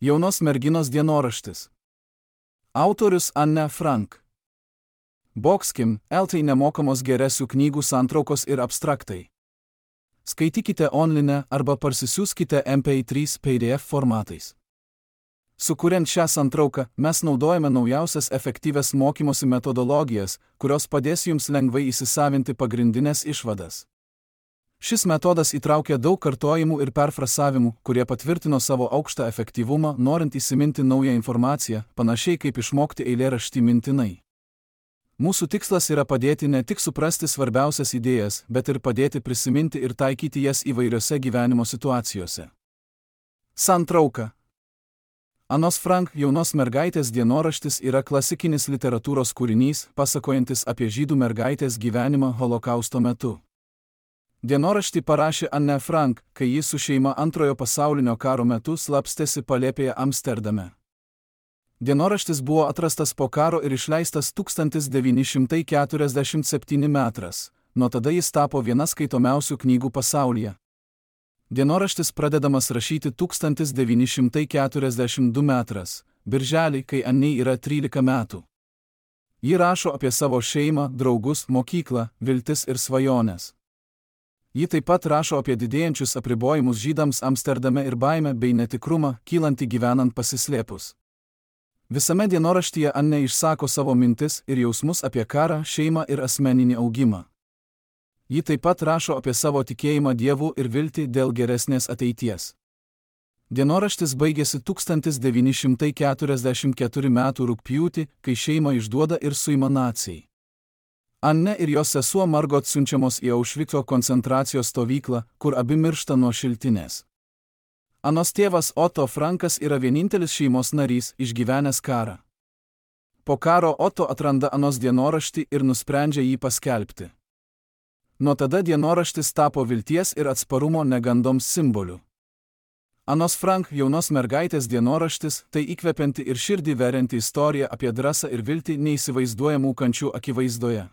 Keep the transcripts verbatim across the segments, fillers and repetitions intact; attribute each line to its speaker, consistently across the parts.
Speaker 1: Jaunos merginos dienoraštis. Autorius Anne Frank. Boxkim, eltai nemokamos geresių knygų santraukos ir abstraktai. Skaitykite online arba parsisiųskite M P trys P D F formatais. Sukuriant šią santrauką, mes naudojame naujausias efektyvias mokymosi metodologijas, kurios padės jums lengvai įsisavinti pagrindinės išvadas. Šis metodas įtraukia daug kartojimų ir perfrasavimų, kurie patvirtino savo aukštą efektyvumą, norint įsiminti naują informaciją, panašiai kaip išmokti eilėraštį mintinai. Mūsų tikslas yra padėti ne tik suprasti svarbiausias idėjas, bet ir padėti prisiminti ir taikyti jas įvairiose gyvenimo situacijose. Santrauka. Anos Frank jaunos mergaitės dienoraštis yra klasikinis literatūros kūrinys, pasakojantis apie žydų mergaitės gyvenimą Holokausto metu. Dienoraštį parašė Anne Frank, kai ji su šeima antrojo pasaulinio karo metu slapstėsi palėpėje Amsterdame. Dienoraštis buvo atrastas po karo ir išleistas tūkstantis devyni šimtai keturiasdešimt septinti metras, nuo tada jis tapo viena skaitomiausių knygų pasaulyje. Dienoraštis pradedamas rašyti tūkstantis devyni šimtai keturiasdešimt du metras, birželį, kai Annei yra trylika metų. Ji rašo apie savo šeimą, draugus, mokyklą, viltis ir svajones. Ji taip pat rašo apie didėjančius apribojimus žydams Amsterdame ir baimę bei netikrumą, kylantį gyvenant pasislėpus. Visame dienoraštyje Anne išsako savo mintis ir jausmus apie karą, šeimą ir asmeninį augimą. Ji taip pat rašo apie savo tikėjimą Dievu ir viltį dėl geresnės ateities. Dienoraštis baigėsi tūkstantis devyni šimtai keturiasdešimt ketvirtų metų rugpjūtį, kai šeimą išduoda ir suima naciai. Anne ir jos sesuo Margot siunčiamos į Aušvico koncentracijos stovyklą, kur abi miršta nuo šiltinės. Anos tėvas Otto Frankas yra vienintelis šeimos narys, išgyvenęs karą. Po karo Otto atranda Anos dienoraštį ir nusprendžia jį paskelbti. Nuo tada dienoraštis tapo vilties ir atsparumo negandoms simboliu. Anos Frank jaunos mergaitės dienoraštis tai įkvepianti ir širdį verianti istorija apie drąsą ir viltį neįsivaizduojamų kančių akivaizdoje.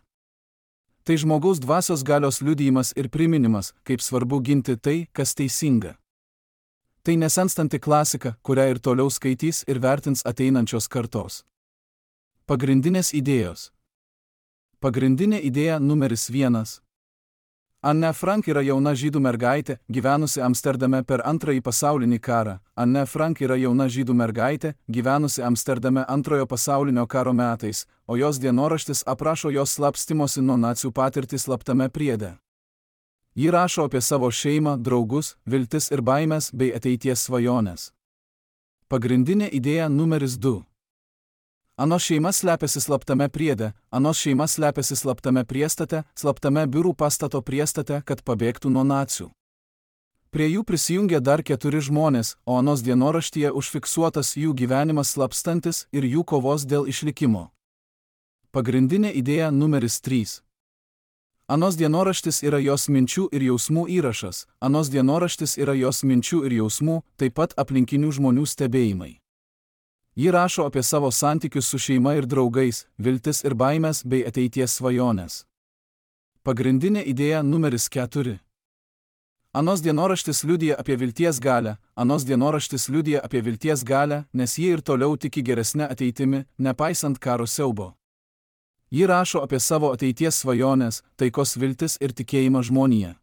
Speaker 1: Tai žmogaus dvasios galios liudijimas ir priminimas, kaip svarbu ginti tai, kas teisinga. Tai nesenstanti klasika, kurią ir toliau skaitys ir vertins ateinančios kartos. Pagrindinės idėjos. Pagrindinė idėja numeris vienas. Anne Frank yra jauna žydų mergaitė, gyvenusi Amsterdame per antrąjį pasaulinį karą. Anne Frank yra jauna žydų mergaitė, gyvenusi Amsterdame antrojo pasaulinio karo metais, o jos dienoraštis aprašo jos slapstymosi nuo nacių patirtį slaptame priede. Ji rašo apie savo šeimą, draugus, viltis ir baimės bei ateities svajones. Pagrindinė idėja numeris du. Anos šeima slepiasi slaptame priede, Anos šeima slepiasi slaptame priestate, slaptame biurų pastato priestate, kad pabėgtų nuo nacių. Prie jų prisijungė dar keturi žmonės, o Anos dienoraštyje užfiksuotas jų gyvenimas slapstantis ir jų kovos dėl išlikimo. Pagrindinė idėja numeris trys. Anos dienoraštis yra jos minčių ir jausmų įrašas, Anos dienoraštis yra jos minčių ir jausmų, taip pat aplinkinių žmonių stebėjimai. Ji rašo apie savo santykius su šeima ir draugais, viltis ir baimės bei ateities svajones. Pagrindinė idėja numeris keturi. Anos dienoraštis liudija apie vilties galią, Anos dienoraštis liudija apie vilties galią, nes ji ir toliau tiki geresnę ateitimi, nepaisant karo siaubo. Ji rašo apie savo ateities svajones, taikos viltis ir tikėjimą žmonija.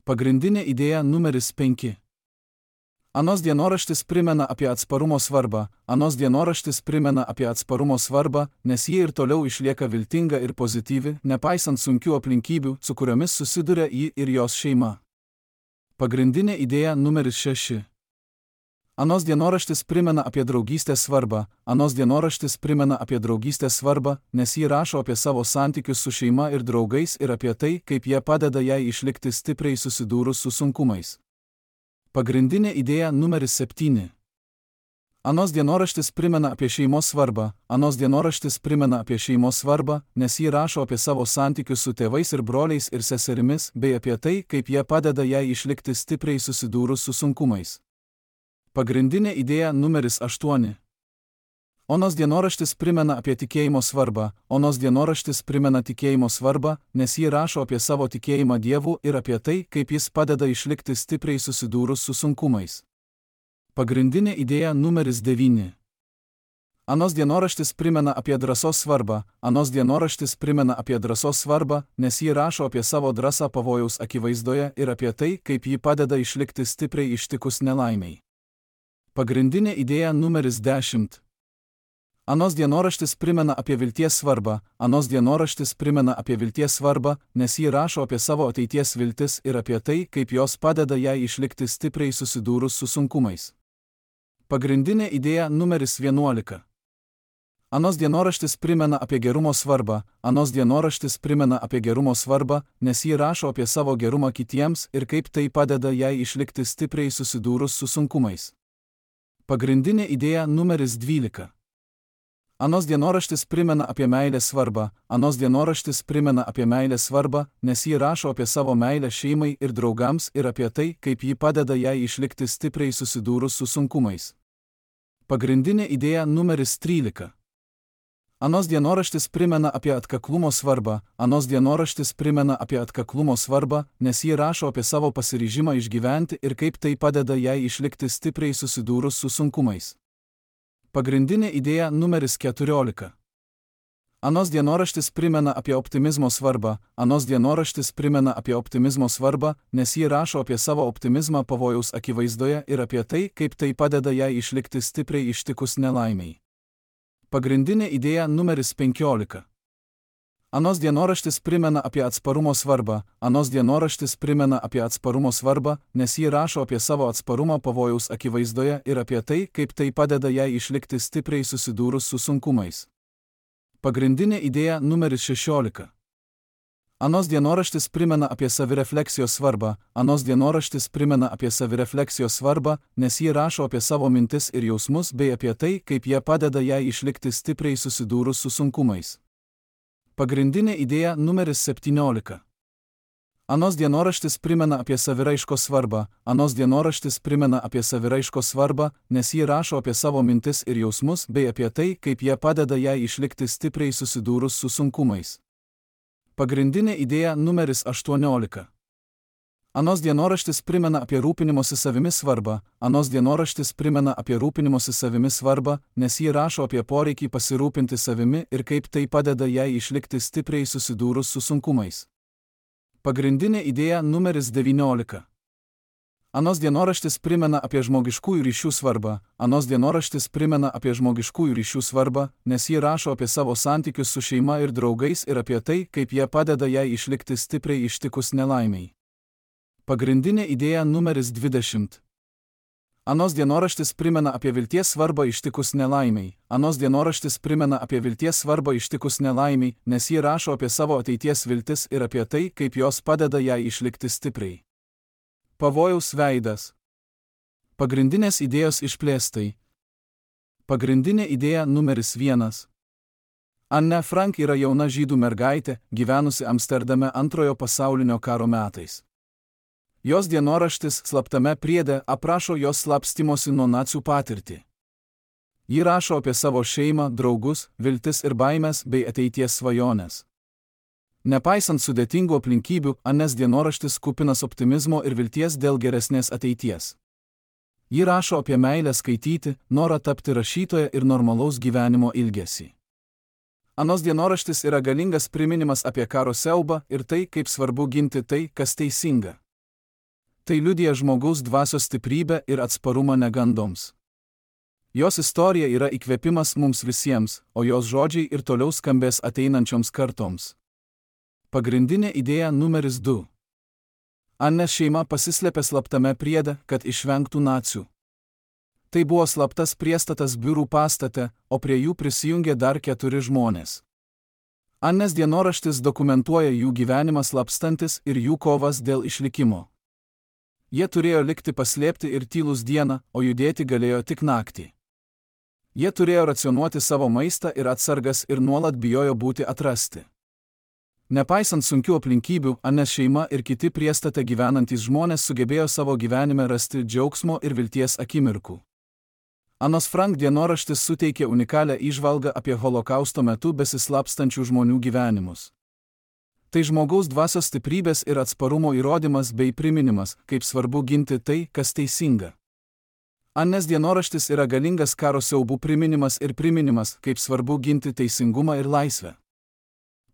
Speaker 1: Pagrindinė idėja numeris penki. Anos dienoraštis primena apie atsparumo svarbą, Anos dienoraštis primena apie atsparumo svarbą, nes ji ir toliau išlieka viltinga ir pozityvi, nepaisant sunkių aplinkybių, su kuriomis susiduria ji ir jos šeima. Pagrindinė idėja numeris šeši. Anos dienoraštis primena apie draugystės svarbą, Anos dienoraštis primena apie draugystės svarbą, nes ji rašo apie savo santykius su šeima ir draugais ir apie tai, kaip jie padeda jai išlikti stipriai susidūrus su sunkumais. Pagrindinė idėja numeris septyni. Anos dienoraštis primena apie šeimos svarbą, Anos dienoraštis primena apie šeimos svarbą, nes ji rašo apie savo santykius su tėvais ir broliais ir seserimis, bei apie tai, kaip jie padeda jai išlikti stipriai susidūrus su sunkumais. Pagrindinė idėja numeris aštuoni. Onos dienoraštis primena apie tikėjimo svarbą, Onos dienoraštis primena tikėjimo svarbą, nes ji rašo apie savo tikėjimą Dievu ir apie tai, kaip jis padeda išlikti stipriai susidūrus su sunkumais. Pagrindinė idėja numeris devyni. Anos dienoraštis primena apie drąsos svarbą, anos dienoraštis primena apie drąsos svarbą, nes ji rašo apie savo drąsą pavojaus akivaizdoje ir apie tai, kaip ji padeda išlikti stipriai ištikus nelaimiai. Pagrindinė idėja numeris dešimt. Anos dienoraštis primena apie vilties svarbą, anos dienoraštis primena apie vilties svarbą, nes ji rašo apie savo ateities viltis ir apie tai, kaip jos padeda jai išlikti stipriai susidūrus su sunkumais. Pagrindinė idėja numeris vienuolika. Anos dienoraštis primena apie gerumo svarbą, anos dienoraštis primena apie gerumo svarbą, nes ji rašo apie savo gerumą kitiems ir kaip tai padeda jai išlikti stipriai susidūrus su sunkumais. Pagrindinė idėja numeris dvylika. Anos dienoraštis primena apie meilės svarbą, anos dienoraštis primena apie meilės svarbą, nes ji rašo apie savo meilę šeimai ir draugams ir apie tai, kaip ji padeda jai išlikti stipriai susidūrus su sunkumais. Pagrindinė idėja numeris trylika. Anos dienoraštis primena apie atkaklumo svarbą, anos dienoraštis primena apie atkaklumo svarbą, nes ji rašo apie savo pasiryžimą išgyventi ir kaip tai padeda jai išlikti stipriai susidūrus su sunkumais. Pagrindinė idėja numeris keturiolika. Anos dienoraštis primena apie optimizmo svarbą, anos dienoraštis primena apie optimizmo svarbą, nes ji rašo apie savo optimizmą pavojaus akivaizdoje ir apie tai, kaip tai padeda jai išlikti stipriai ištikus nelaimiai. Pagrindinė idėja numeris penkiolika. Anos dienoraštis primena apie atsparumo svarbą, anos dienoraštis primena apie atsparumo svarbą, nes ji rašo apie savo atsparumą pavojaus akivaizdoje ir apie tai, kaip tai padeda jai išlikti stipriai susidūrus su sunkumais. Pagrindinė idėja numeris šešiolika. Anos dienoraštis primena apie savirefleksijos svarbą, anos dienoraštis primena apie savirefleksijos svarbą, nes ji rašo apie savo mintis ir jausmus bei apie tai, kaip jie padeda jai išlikti stipriai susidūrus su sunkumais. Pagrindinė idėja numeris septyniolika. Anos dienoraštis primena apie saviraiškos svarbą, anos dienoraštis primena apie saviraiškos svarbą, nes ji rašo apie savo mintis ir jausmus bei apie tai, kaip jie padeda jai išlikti stipriai susidūrus su sunkumais. Pagrindinė idėja numeris aštuoniolika. Anos dienoraštis primena apie rūpinimosi savimi svarbą, anos dienoraštis primena apie rūpinimosi savimi svarbą, nes ji rašo apie poreikį pasirūpinti savimi ir kaip tai padeda jai išlikti stipriai susidūrus su sunkumais. Pagrindinė idėja numeris devyniolika. Anos dienoraštis primena apie žmogiškųjų ryšių svarbą, anos dienoraštis primena apie žmogiškųjų ryšių svarbą, nes ji rašo apie savo santykius su šeima ir draugais ir apie tai, kaip jie padeda jai išlikti stipriai ištikus nelaimiai. Pagrindinė idėja numeris dvidešimt. Anos dienoraštis primena apie vilties svarbą ištikus nelaimiai, anos dienoraštis primena apie vilties svarbą ištikus nelaimiai, nes ji rašo apie savo ateities viltis ir apie tai, kaip jos padeda jai išlikti stipriai. Pavojaus veidas. Pagrindinės idėjos išplėstai. Pagrindinė idėja numeris vienas. Anne Frank yra jauna žydų mergaitė, gyvenusi Amsterdame antrojo pasaulinio karo metais. Jos dienoraštis slaptame priede aprašo jos slapstymosi nuo nacių patirtį. Ji rašo apie savo šeimą, draugus, viltis ir baimes bei ateities svajones. Nepaisant sudėtingų aplinkybių, Anės dienoraštis kupinas optimizmo ir vilties dėl geresnės ateities. Ji rašo apie meilę skaityti, norą tapti rašytoja ir normalaus gyvenimo ilgesį. Anos dienoraštis yra galingas priminimas apie karo siaubą ir tai, kaip svarbu ginti tai, kas teisinga. Tai liudija žmogaus dvasios stiprybę ir atsparumą negandoms. Jos istorija yra įkvėpimas mums visiems, o jos žodžiai ir toliau skambės ateinančioms kartoms. Pagrindinė idėja numeris du. Anės šeima pasislėpė slaptame priede, kad išvengtų nacių. Tai buvo slaptas priestatas biurų pastate, o prie jų prisijungė dar keturi žmonės. Anės dienoraštis dokumentuoja jų gyvenimą slapstantis ir jų kovas dėl išlikimo. Jie turėjo likti paslėpti ir tylus dieną, o judėti galėjo tik naktį. Jie turėjo racionuoti savo maistą ir atsargas ir nuolat bijojo būti atrasti. Nepaisant sunkių aplinkybių, Anės šeima ir kiti priestate gyvenantys žmonės sugebėjo savo gyvenime rasti džiaugsmo ir vilties akimirkų. Anos Frank dienoraštis suteikė unikalią įžvalgą apie holokausto metu besislapstančių žmonių gyvenimus. Tai žmogaus dvasios stiprybės ir atsparumo įrodymas bei priminimas, kaip svarbu ginti tai, kas teisinga. Anės dienoraštis yra galingas karo siaubų priminimas ir priminimas, kaip svarbu ginti teisingumą ir laisvę.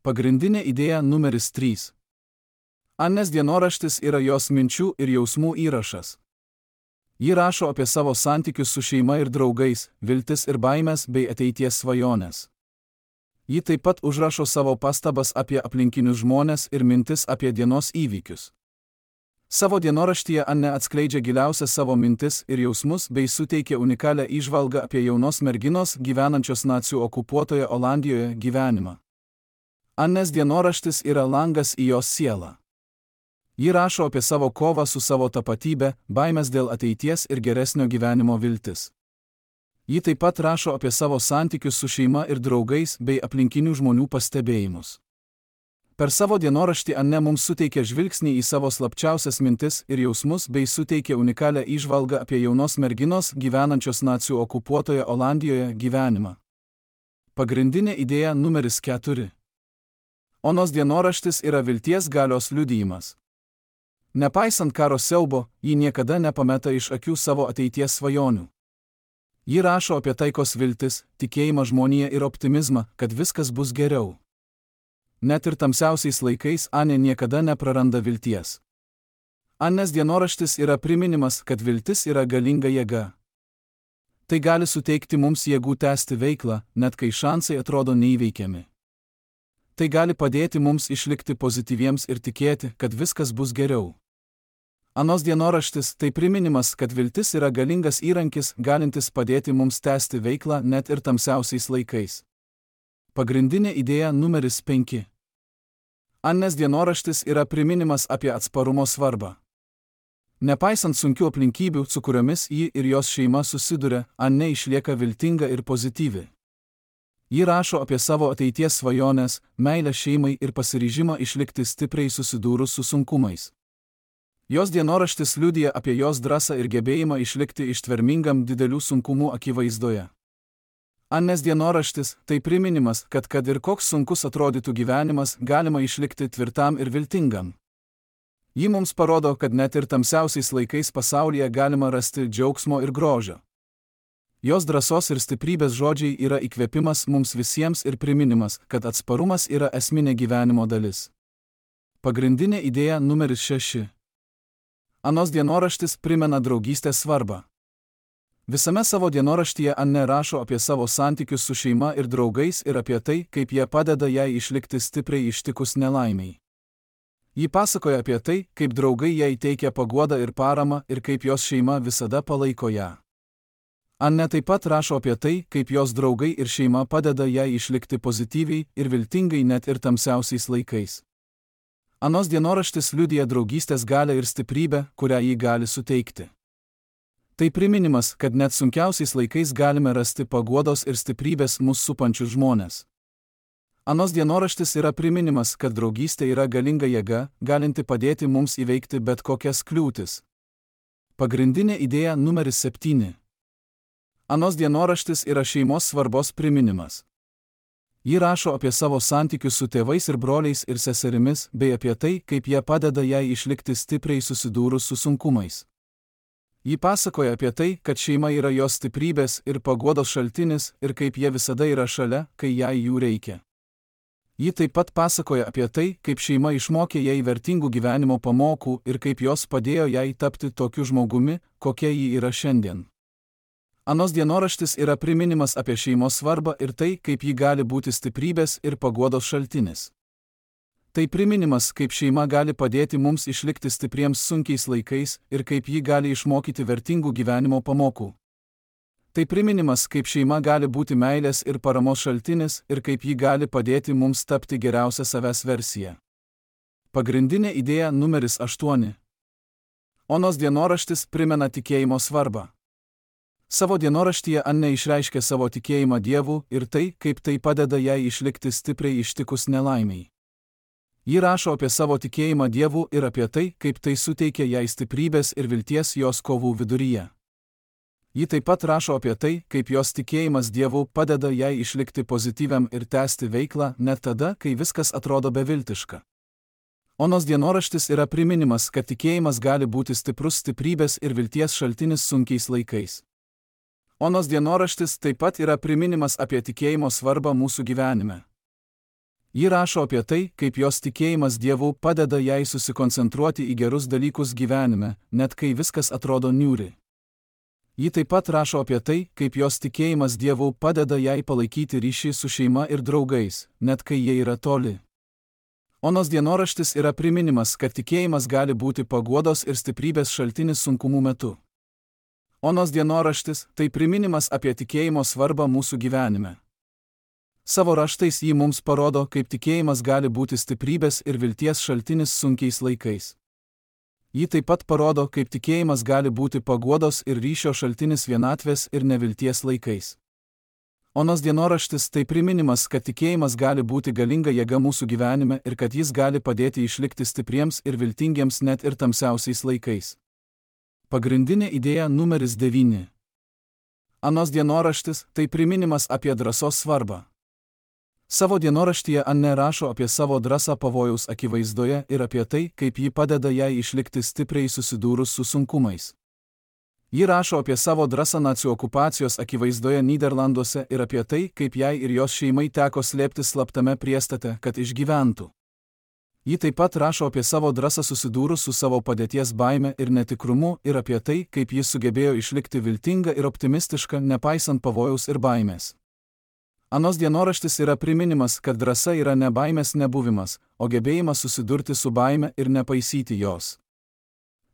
Speaker 1: Pagrindinė idėja numeris trys. Anės dienoraštis yra jos minčių ir jausmų įrašas. Ji rašo apie savo santykius su šeima ir draugais, viltis ir baimės bei ateities svajonės. Ji taip pat užrašo savo pastabas apie aplinkinius žmones ir mintis apie dienos įvykius. Savo dienoraštyje Anne atskleidžia giliausias savo mintis ir jausmus bei suteikia unikalią įžvalgą apie jaunos merginos gyvenančios nacių okupuotoje Olandijoje gyvenimą. Anės dienoraštis yra langas į jos sielą. Ji rašo apie savo kovą su savo tapatybe, baimės dėl ateities ir geresnio gyvenimo viltis. Ji taip pat rašo apie savo santykius su šeima ir draugais bei aplinkinių žmonių pastebėjimus. Per savo dienoraštį Anne mums suteikia žvilgsnį į savo slapčiausias mintis ir jausmus bei suteikia unikalią įžvalgą apie jaunos merginos gyvenančios nacių okupuotoje Olandijoje gyvenimą. Pagrindinė idėja numeris keturi. Onos dienoraštis yra vilties galios liudijimas. Nepaisant karo siaubo, ji niekada nepameta iš akių savo ateities svajonių. Ji rašo apie taikos viltis, tikėjimą žmoniją ir optimizmą, kad viskas bus geriau. Net ir tamsiausiais laikais Anė niekada nepraranda vilties. Anės dienoraštis yra priminimas, kad viltis yra galinga jėga. Tai gali suteikti mums jėgų tęsti veiklą, net kai šansai atrodo neįveikiami. Tai gali padėti mums išlikti pozityviems ir tikėti, kad viskas bus geriau. Anos dienoraštis tai priminimas, kad viltis yra galingas įrankis, galintis padėti mums tęsti veiklą net ir tamsiausiais laikais. Pagrindinė idėja numeris penki. Anės dienoraštis yra priminimas apie atsparumo svarbą. Nepaisant sunkių aplinkybių, su kuriomis ji ir jos šeima susiduria, Anė išlieka viltinga ir pozityvi. Ji rašo apie savo ateities svajones, meilę šeimai ir pasiryžimą išlikti stipriai susidūrus su sunkumais. Jos dienoraštis liudija apie jos drąsą ir gebėjimą išlikti ištvermingam didelių sunkumų akivaizdoje. Anės dienoraštis tai priminimas, kad kad ir koks sunkus atrodytų gyvenimas, galima išlikti tvirtam ir viltingam. Ji mums parodo, kad net ir tamsiausiais laikais pasaulyje galima rasti džiaugsmo ir grožio. Jos drąsos ir stiprybės žodžiai yra įkvėpimas mums visiems ir priminimas, kad atsparumas yra esminė gyvenimo dalis. Pagrindinė idėja numeris šeši. Anos dienoraštis primena draugystės svarbą. Visame savo dienoraštyje Anne rašo apie savo santykius su šeima ir draugais ir apie tai, kaip jie padeda jai išlikti stipriai ištikus nelaimiai. Ji pasakoja apie tai, kaip draugai jai teikia paguodą ir paramą ir kaip jos šeima visada palaiko ją. Anne taip pat rašo apie tai, kaip jos draugai ir šeima padeda jai išlikti pozityviai ir viltingai net ir tamsiausiais laikais. Anos dienoraštis liudija draugystės galią ir stiprybę, kurią ji gali suteikti. Tai priminimas, kad net sunkiausiais laikais galime rasti paguodos ir stiprybės mus supančius žmones. Anos dienoraštis yra priminimas, kad draugystė yra galinga jėga, galinti padėti mums įveikti bet kokias kliūtis. Pagrindinė idėja numeris septyni. Anos dienoraštis yra šeimos svarbos priminimas. Ji rašo apie savo santykius su tėvais ir broliais ir seserimis, bei apie tai, kaip jie padeda jai išlikti stipriai susidūrus su sunkumais. Ji pasakoja apie tai, kad šeima yra jos stiprybės ir paguodos šaltinis ir kaip jie visada yra šalia, kai jai jų reikia. Ji taip pat pasakoja apie tai, kaip šeima išmokė jai vertingų gyvenimo pamokų ir kaip jos padėjo jai tapti tokiu žmogumi, kokia ji yra šiandien. Anos dienoraštis yra priminimas apie šeimos svarbą ir tai, kaip ji gali būti stiprybės ir paguodos šaltinis. Tai priminimas, kaip šeima gali padėti mums išlikti stipriems sunkiais laikais ir kaip ji gali išmokyti vertingų gyvenimo pamokų. Tai priminimas, kaip šeima gali būti meilės ir paramos šaltinis ir kaip ji gali padėti mums tapti geriausią savęs versiją. Pagrindinė idėja numeris aštuoni. Onos dienoraštis primena tikėjimo svarbą. Savo dienoraštyje Anne išreiškė savo tikėjimą Dievu ir tai, kaip tai padeda jai išlikti stipriai ištikus nelaimiai. Ji rašo apie savo tikėjimą Dievu ir apie tai, kaip tai suteikia jai stiprybės ir vilties jos kovų viduryje. Ji taip pat rašo apie tai, kaip jos tikėjimas Dievu padeda jai išlikti pozityviam ir tęsti veiklą net tada, kai viskas atrodo beviltiška. Onos dienoraštis yra priminimas, kad tikėjimas gali būti stiprus stiprybės ir vilties šaltinis sunkiais laikais. Onos dienoraštis taip pat yra priminimas apie tikėjimo svarbą mūsų gyvenime. Ji rašo apie tai, kaip jos tikėjimas Dievu padeda jai susikoncentruoti į gerus dalykus gyvenime, net kai viskas atrodo niūri. Ji taip pat rašo apie tai, kaip jos tikėjimas Dievu padeda jai palaikyti ryšį su šeima ir draugais, net kai jie yra toli. Onos dienoraštis yra priminimas, kad tikėjimas gali būti paguodos ir stiprybės šaltinis sunkumų metu. Onos dienoraštis tai priminimas apie tikėjimo svarbą mūsų gyvenime. Savo raštais ji mums parodo, kaip tikėjimas gali būti stiprybės ir vilties šaltinis sunkiais laikais. Ji taip pat parodo, kaip tikėjimas gali būti paguodos ir ryšio šaltinis vienatvės ir nevilties laikais. Onos dienoraštis tai priminimas, kad tikėjimas gali būti galinga jėga mūsų gyvenime ir kad jis gali padėti išlikti stipriems ir viltingiems net ir tamsiausiais laikais. Pagrindinė idėja numeris devyni. Onos dienoraštis tai priminimas apie drąsos svarbą. Savo dienoraštyje Anne rašo apie savo drąsą pavojaus akivaizdoje ir apie tai, kaip ji padeda jai išlikti stipriai susidūrus su sunkumais. Ji rašo apie savo drąsą nacių okupacijos akivaizdoje Nyderlanduose ir apie tai, kaip jai ir jos šeimai teko slėptis slaptame priestate, kad išgyventų. Ji taip pat rašo apie savo drąsą susidūrus su savo padėties baime ir netikrumu ir apie tai, kaip ji sugebėjo išlikti viltinga ir optimistiška, nepaisant pavojaus ir baimės. Onos dienoraštis yra priminimas, kad drąsa yra ne baimės nebuvimas, o gebėjimas susidurti su baime ir nepaisyti jos.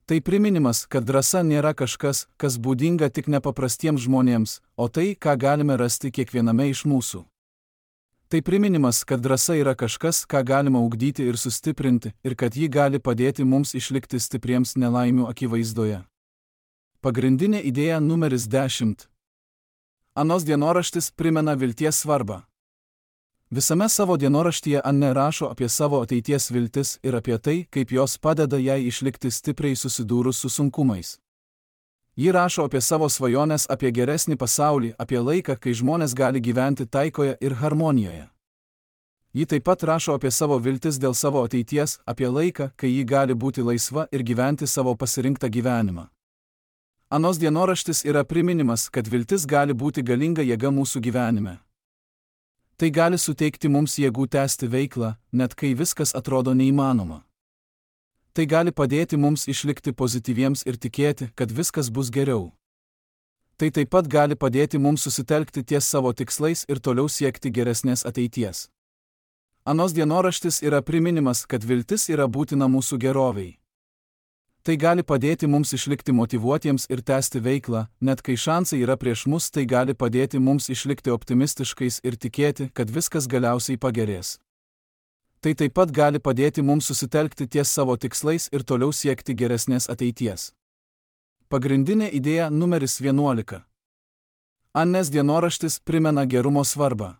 Speaker 1: Tai priminimas, kad drąsa nėra kažkas, kas būdinga tik nepaprastiems žmonėms, o tai, ką galime rasti kiekviename iš mūsų. Tai priminimas, kad drąsa yra kažkas, ką galima ugdyti ir sustiprinti, ir kad ji gali padėti mums išlikti stipriems nelaimių akivaizdoje. Pagrindinė idėja numeris dešimt. Onos dienoraštis primena vilties svarbą. Visame savo dienoraštyje Anne rašo apie savo ateities viltis ir apie tai, kaip jos padeda jai išlikti stipriai susidūrus su sunkumais. Ji rašo apie savo svajones apie geresnį pasaulį, apie laiką, kai žmonės gali gyventi taikoje ir harmonijoje. Ji taip pat rašo apie savo viltis dėl savo ateities, apie laiką, kai ji gali būti laisva ir gyventi savo pasirinktą gyvenimą. Onos dienoraštis yra priminimas, kad viltis gali būti galinga jėga mūsų gyvenime. Tai gali suteikti mums jėgų tęsti veiklą, net kai viskas atrodo neįmanoma. Tai gali padėti mums išlikti pozityviems ir tikėti, kad viskas bus geriau. Tai taip pat gali padėti mums susitelkti ties savo tikslais ir toliau siekti geresnės ateities. Onos dienoraštis yra priminimas, kad viltis yra būtina mūsų gerovei. Tai gali padėti mums išlikti motyvuotiems ir tęsti veiklą, net kai šansai yra prieš mus, tai gali padėti mums išlikti optimistiškais ir tikėti, kad viskas galiausiai pagerės. Tai taip pat gali padėti mums susitelkti ties savo tikslais ir toliau siekti geresnės ateities. Pagrindinė idėja numeris vienuolika. Annės dienoraštis primena gerumo svarbą.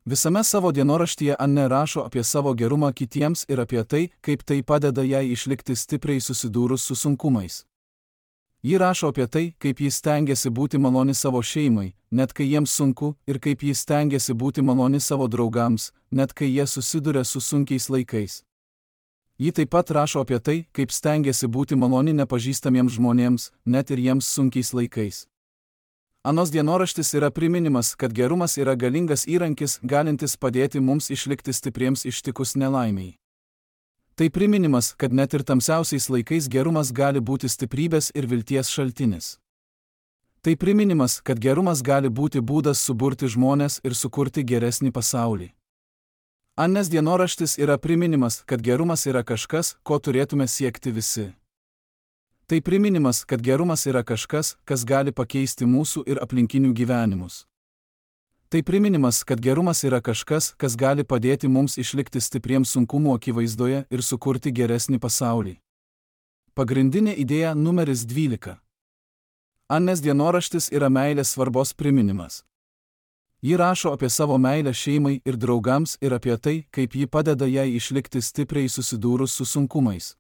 Speaker 1: Visame savo dienoraštyje Anne rašo apie savo gerumą kitiems ir apie tai, kaip tai padeda jai išlikti stipriai susidūrus su sunkumais. Ji rašo apie tai, kaip jis stengiasi būti maloni savo šeimai, net kai jiems sunku, ir kaip jis stengiasi būti maloni savo draugams, net kai jie susiduria su sunkiais laikais. Ji taip pat rašo apie tai, kaip stengiasi būti maloni nepažįstamiems žmonėms, net ir jiems sunkiais laikais. Onos dienoraštis yra priminimas, kad gerumas yra galingas įrankis, galintis padėti mums išlikti stipriems ištikus nelaimiai. Tai priminimas, kad net ir tamsiausiais laikais gerumas gali būti stiprybės ir vilties šaltinis. Tai priminimas, kad gerumas gali būti būdas suburti žmones ir sukurti geresnį pasaulį. Annės dienoraštis yra priminimas, kad gerumas yra kažkas, ko turėtume siekti visi. Tai priminimas, kad gerumas yra kažkas, kas gali pakeisti mūsų ir aplinkinių gyvenimus. Tai priminimas, kad gerumas yra kažkas, kas gali padėti mums išlikti stipriems sunkumų akivaizdoje ir sukurti geresnį pasaulį. Pagrindinė idėja numeris dvylika. Annės dienoraštis yra meilės svarbos priminimas. Ji rašo apie savo meilę šeimai ir draugams ir apie tai, kaip ji padeda jai išlikti stipriai susidūrus su sunkumais.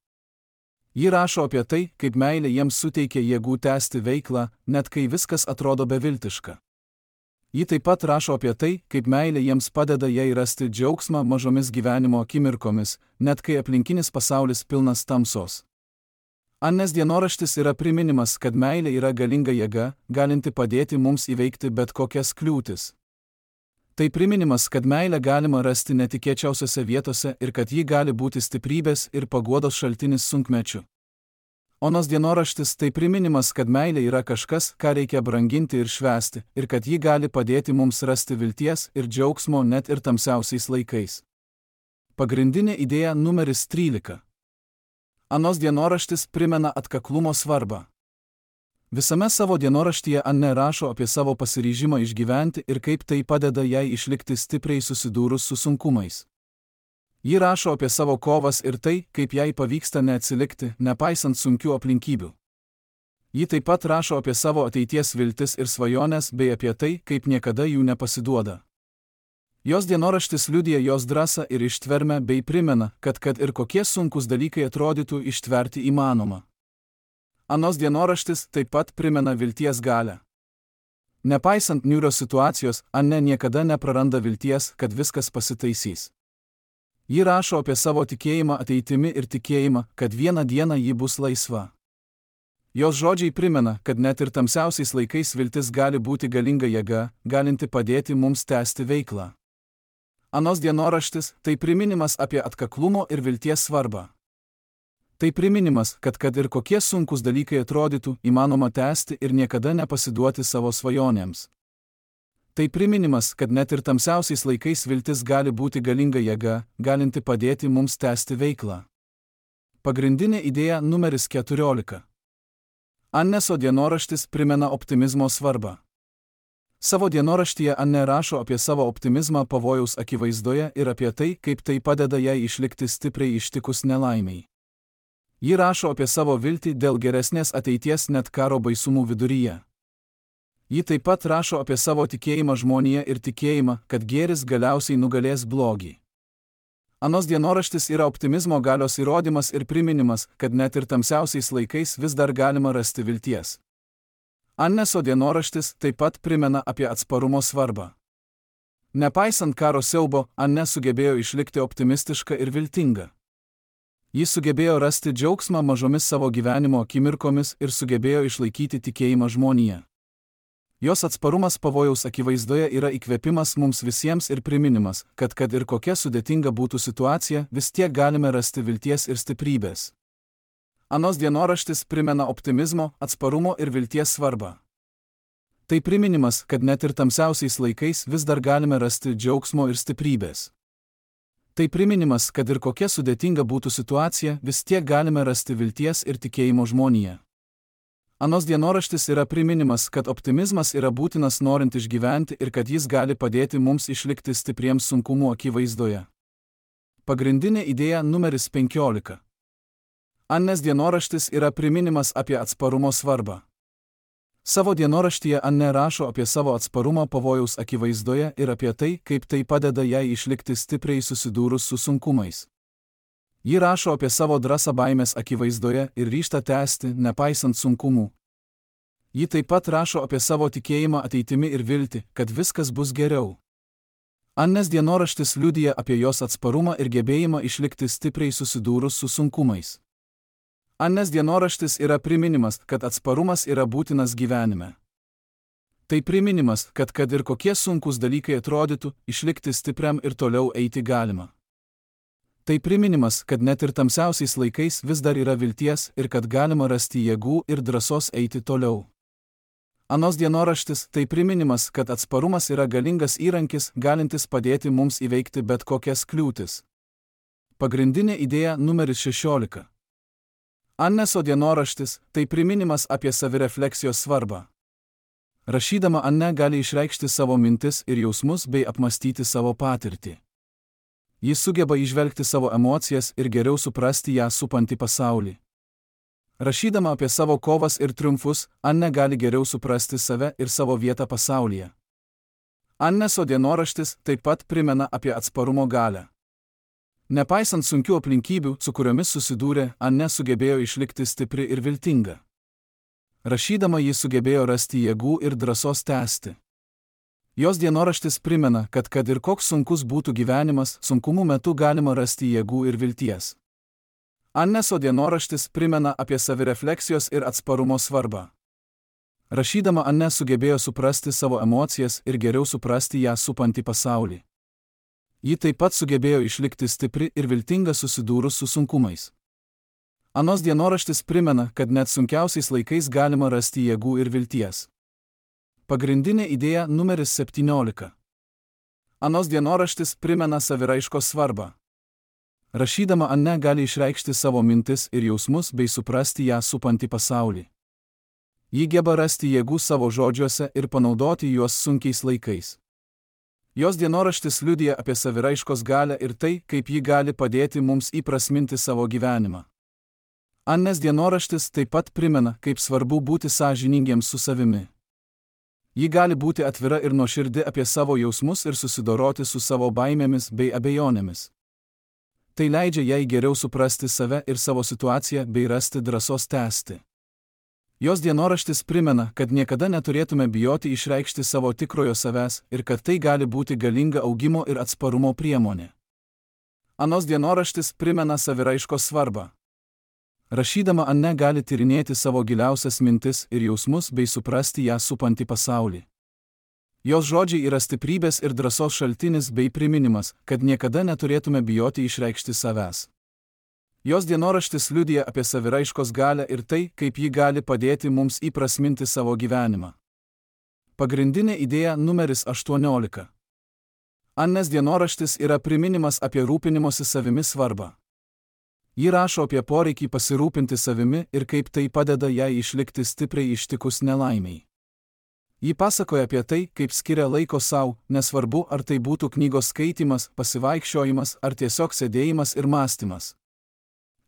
Speaker 1: Ji rašo apie tai, kaip meilė jiems suteikia jėgų tęsti veiklą, net kai viskas atrodo beviltiška. Ji taip pat rašo apie tai, kaip meilė jiems padeda jai rasti džiaugsmą mažomis gyvenimo akimirkomis, net kai aplinkinis pasaulis pilnas tamsos. Anės dienoraštis yra priminimas, kad meilė yra galinga jėga, galinti padėti mums įveikti bet kokias kliūtis. Tai priminimas, kad meilę galima rasti netikėčiausiose vietose ir kad ji gali būti stiprybės ir paguodos šaltinis sunkmečiu. Onos dienoraštis tai priminimas, kad meilė yra kažkas, ką reikia branginti ir švęsti, ir kad ji gali padėti mums rasti vilties ir džiaugsmo net ir tamsiausiais laikais. Pagrindinė idėja numeris trylika. Anos dienoraštis primena atkaklumo svarbą. Visame savo dienoraštyje Anne rašo apie savo pasiryžimą išgyventi ir kaip tai padeda jai išlikti stipriai susidūrus su sunkumais. Ji rašo apie savo kovas ir tai, kaip jai pavyksta neatsilikti, nepaisant sunkių aplinkybių. Ji taip pat rašo apie savo ateities viltis ir svajones bei apie tai, kaip niekada jų nepasiduoda. Jos dienoraštis liudija jos drąsą ir ištvermę bei primena, kad kad ir kokie sunkus dalykai atrodytų, ištverti įmanoma. Anos dienoraštis taip pat primena vilties galią. Nepaisant niūrios situacijos, Anne niekada nepraranda vilties, kad viskas pasitaisys. Ji rašo apie savo tikėjimą ateitimi ir tikėjimą, kad vieną dieną ji bus laisva. Jos žodžiai primena, kad net ir tamsiausiais laikais viltis gali būti galinga jėga, galinti padėti mums tęsti veiklą. Anos dienoraštis tai priminimas apie atkaklumo ir vilties svarbą. Tai priminimas, kad kad ir kokie sunkus dalykai atrodytų, įmanoma tęsti ir niekada nepasiduoti savo svajonėms. Tai priminimas, kad net ir tamsiausiais laikais viltis gali būti galinga jėga, galinti padėti mums tęsti veiklą. Pagrindinė idėja numeris keturiolika. Anneso dienoraštis primena optimizmo svarbą. Savo dienoraštyje Anne rašo apie savo optimizmą pavojaus akivaizdoje ir apie tai, kaip tai padeda jai išlikti stipriai ištikus nelaimiai. Ji rašo apie savo viltį dėl geresnės ateities net karo baisumų viduryje. Ji taip pat rašo apie savo tikėjimą žmonėje ir tikėjimą, kad gėris galiausiai nugalės blogį. Anos dienoraštis yra optimizmo galios įrodymas ir priminimas, kad net ir tamsiausiais laikais vis dar galima rasti vilties. Anneso dienoraštis taip pat primena apie atsparumo svarbą. Nepaisant karo siaubo, Anne sugebėjo išlikti optimistiška ir viltinga. Ji sugebėjo rasti džiaugsmą mažomis savo gyvenimo akimirkomis ir sugebėjo išlaikyti tikėjimą žmonėje. Jos atsparumas pavojaus akivaizdoje yra įkvėpimas mums visiems ir priminimas, kad kad ir kokia sudėtinga būtų situacija, vis tiek galime rasti vilties ir stiprybės. Anos dienoraštis primena optimizmo, atsparumo ir vilties svarbą. Tai priminimas, kad net ir tamsiausiais laikais vis dar galime rasti džiaugsmo ir stiprybės. Tai priminimas, kad ir kokia sudėtinga būtų situacija, vis tiek galime rasti vilties ir tikėjimo žmonėje. Anos dienoraštis yra priminimas, kad optimizmas yra būtinas norint išgyventi ir kad jis gali padėti mums išlikti stipriems sunkumų akivaizdoje. Pagrindinė idėja numeris penkiolika. Annės dienoraštis yra priminimas apie atsparumo svarbą. Savo dienoraštyje Anne rašo apie savo atsparumą pavojaus akivaizdoje ir apie tai, kaip tai padeda jai išlikti stipriai susidūrus su sunkumais. Ji rašo apie savo drąsą baimės akivaizdoje ir ryžtą tęsti, nepaisant sunkumų. Ji taip pat rašo apie savo tikėjimą ateitimi ir viltį, kad viskas bus geriau. Annės dienoraštis liudija apie jos atsparumą ir gebėjimą išlikti stipriai susidūrus su sunkumais. Annės dienoraštis yra priminimas, kad atsparumas yra būtinas gyvenime. Tai priminimas, kad kad ir kokie sunkus dalykai atrodytų, išlikti stipriam ir toliau eiti galima. Tai priminimas, kad net ir tamsiausiais laikais vis dar yra vilties ir kad galima rasti jėgų ir drąsos eiti toliau. Anos dienoraštis tai priminimas, kad atsparumas yra galingas įrankis, galintis padėti mums įveikti bet kokias kliūtis. Pagrindinė idėja numeris šešiolika. Anneso dienoraštis tai priminimas apie savirefleksijos svarbą. Rašydama Anne gali išreikšti savo mintis ir jausmus bei apmastyti savo patirtį. Jis sugeba įžvelgti savo emocijas ir geriau suprasti ją supantį pasaulį. Rašydama apie savo kovas ir triumfus, Anne gali geriau suprasti save ir savo vietą pasaulyje. Anneso dienoraštis taip pat primena apie atsparumo galią. Nepaisant sunkių aplinkybių, su kuriomis susidūrė, Anne sugebėjo išlikti stipri ir viltinga. Rašydama ji sugebėjo rasti jėgų ir drąsos tęsti. Jos dienoraštis primena, kad kad ir koks sunkus būtų gyvenimas, sunkumų metu galima rasti jėgų ir vilties. Anneso dienoraštis primena apie savirefleksijos ir atsparumo svarbą. Rašydama Anne sugebėjo suprasti savo emocijas ir geriau suprasti ją supantį pasaulį. Ji taip pat sugebėjo išlikti stipri ir viltinga susidūrus su sunkumais. Anos dienoraštis primena, kad net sunkiausiais laikais galima rasti jėgų ir vilties. Pagrindinė idėja numeris septyniolika. Anos dienoraštis primena saviraiškos svarbą. Rašydama Anne gali išreikšti savo mintis ir jausmus bei suprasti ją supantį pasaulį. Ji geba rasti jėgų savo žodžiuose ir panaudoti juos sunkiais laikais. Jos dienoraštis liudija apie saviraiškos galią ir tai, kaip ji gali padėti mums įprasminti savo gyvenimą. Annes dienoraštis taip pat primena, kaip svarbu būti sąžiningiems su savimi. Ji gali būti atvira ir nuoširdi apie savo jausmus ir susidoroti su savo baimėmis bei abejonėmis. Tai leidžia jai geriau suprasti save ir savo situaciją bei rasti drąsos tęsti. Jos dienoraštis primena, kad niekada neturėtume bijoti išreikšti savo tikrojo savęs ir kad tai gali būti galinga augimo ir atsparumo priemonė. Anos dienoraštis primena saviraiškos svarbą. Rašydama Anne gali tyrinėti savo giliausias mintis ir jausmus bei suprasti ją supantį pasaulį. Jos žodžiai yra stiprybės ir drąsos šaltinis bei priminimas, kad niekada neturėtume bijoti išreikšti savęs. Jos dienoraštis liudija apie saviraiškos galią ir tai, kaip ji gali padėti mums įprasminti savo gyvenimą. Pagrindinė idėja numeris aštuoniolika. Annes dienoraštis yra priminimas apie rūpinimosi savimi svarbą. Ji rašo apie poreikį pasirūpinti savimi ir kaip tai padeda jai išlikti stipriai ištikus nelaimiai. Ji pasakoja apie tai, kaip skiria laiko sau, nesvarbu ar tai būtų knygos skaitymas, pasivaikščiojimas ar tiesiog sėdėjimas ir mąstymas.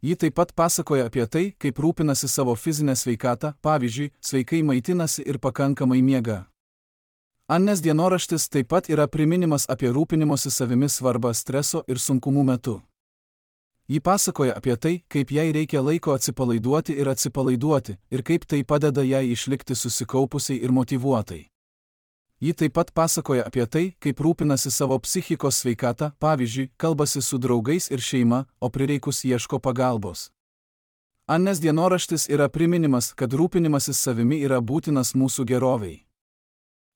Speaker 1: Ji taip pat pasakoja apie tai, kaip rūpinasi savo fizinę sveikatą, pavyzdžiui, sveikai maitinasi ir pakankamai miega. Annes dienoraštis taip pat yra priminimas apie rūpinimosi savimi svarbą streso ir sunkumų metu. Ji pasakoja apie tai, kaip jai reikia laiko atsipalaiduoti ir atsipalaiduoti, ir kaip tai padeda jai išlikti susikaupusiai ir motyvuotai. Ji taip pat pasakoja apie tai, kaip rūpinasi savo psichikos sveikatą, pavyzdžiui, kalbasi su draugais ir šeima, o prireikus ieško pagalbos. Annes dienoraštis yra priminimas, kad rūpinimasis savimi yra būtinas mūsų gerovei.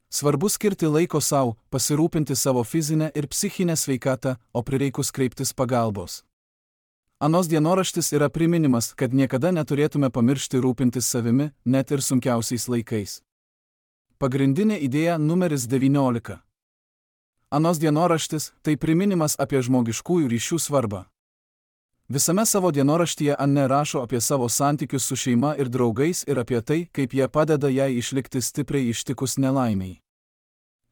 Speaker 1: Svarbu skirti laiko sau, pasirūpinti savo fizinę ir psichinę sveikatą, o prireikus kreiptis pagalbos. Anos dienoraštis yra priminimas, kad niekada neturėtume pamiršti rūpintis savimi, net ir sunkiausiais laikais. Pagrindinė idėja numeris devyniolika. Anos dienoraštis – tai priminimas apie žmogiškųjų ryšių svarbą. Visame savo dienoraštyje Anne rašo apie savo santykius su šeima ir draugais ir apie tai, kaip jie padeda jai išlikti stipriai ištikus nelaimiai.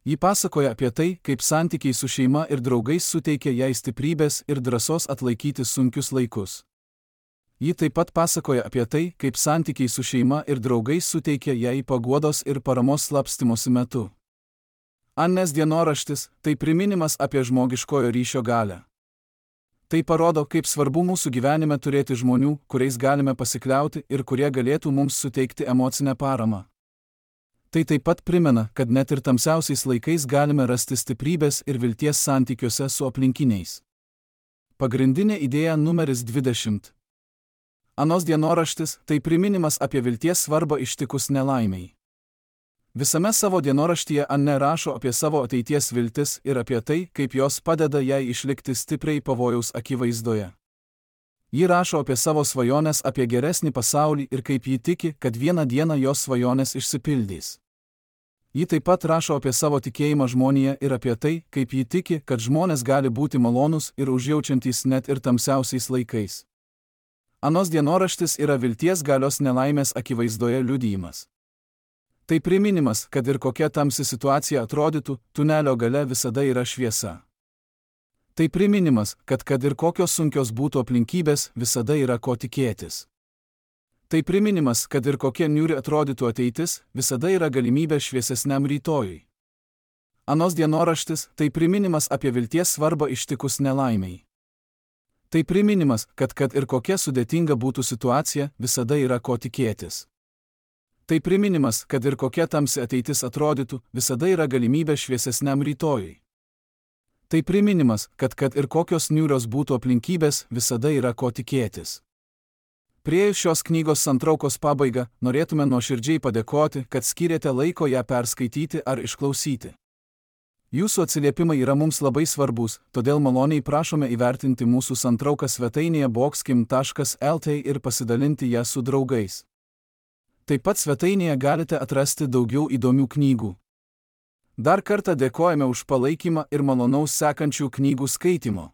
Speaker 1: Ji pasakoja apie tai, kaip santykiai su šeima ir draugais suteikia jai stiprybės ir drąsos atlaikyti sunkius laikus. Ji taip pat pasakoja apie tai, kaip santykiai su šeima ir draugais suteikia jai paguodos ir paramos slapstymosi metu. Annes dienoraštis – tai priminimas apie žmogiškojo ryšio galią. Tai parodo, kaip svarbu mūsų gyvenime turėti žmonių, kuriais galime pasikliauti ir kurie galėtų mums suteikti emocinę paramą. Tai taip pat primena, kad net ir tamsiausiais laikais galime rasti stiprybės ir vilties santykiuose su aplinkiniais. Pagrindinė idėja numeris dvidešimt. Anos dienoraštis – tai priminimas apie vilties svarbą ištikus nelaimiai. Visame savo dienoraštyje Anne rašo apie savo ateities viltis ir apie tai, kaip jos padeda jai išlikti stipriai pavojaus akivaizdoje. Ji rašo apie savo svajones apie geresnį pasaulį ir kaip ji tiki, kad vieną dieną jos svajonės išsipildys. Ji taip pat rašo apie savo tikėjimą žmonėje ir apie tai, kaip ji tiki, kad žmonės gali būti malonūs ir užjaučiantys net ir tamsiausiais laikais. Anos dienoraštis yra vilties galios nelaimės akivaizdoje liudijimas. Tai priminimas, kad ir kokia tamsi situacija atrodytų, tunelio gale visada yra šviesa. Tai priminimas, kad kad ir kokios sunkios būtų aplinkybės, visada yra ko tikėtis. Tai priminimas, kad ir kokia niūri atrodytų ateitis, visada yra galimybė šviesesniam rytojui. Anos dienoraštis – tai priminimas apie vilties svarbą ištikus nelaimiai. Tai priminimas, kad kad ir kokia sudėtinga būtų situacija, visada yra ko tikėtis. Tai priminimas, kad ir kokia tamsi ateitis atrodytų, visada yra galimybė šviesesniam rytojui. Tai priminimas, kad kad ir kokios niūrios būtų aplinkybės, visada yra ko tikėtis. Priėjus šios knygos santraukos pabaigą, norėtume nuoširdžiai padėkoti, kad skyrėte laiko ją perskaityti ar išklausyti. Jūsų atsiliepimai yra mums labai svarbus, todėl maloniai prašome įvertinti mūsų santrauką svetainėje boxkim taškas lt ir pasidalinti ją su draugais. Taip pat svetainėje galite atrasti daugiau įdomių knygų. Dar kartą dėkojame už palaikymą ir malonaus sekančių knygų skaitimo.